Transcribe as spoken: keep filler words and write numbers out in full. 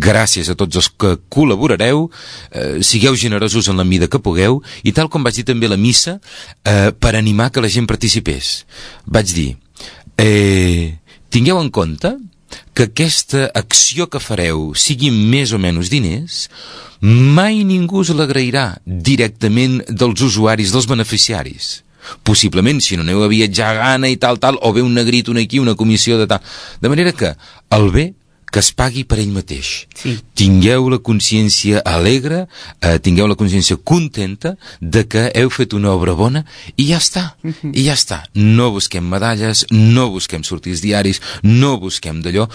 gràcies a tots els que col·laborareu, eh, sigueu generosos en la mida que pugueu, i tal com vaig dir també a la missa, eh, per animar que la gent participés. Vaig dir, eh, tingueu en compte que aquesta acció que fareu sigui més o menys diners, mai ningú us l'agrairà directament dels usuaris, dels beneficiaris. Possiblement, si no aneu a viatjar a gana i tal, tal, o ve un negrit, un aquí, una comissió de tal. De manera que el bé que es pagui per ell mateix. Sí. Tingueu la consciència alegre, eh, tingueu la consciència contenta de que heu fet una obra bona i ja està, Uh-huh. i ja està. No busquem medalles, no busquem sortir als diaris, no busquem d'allò.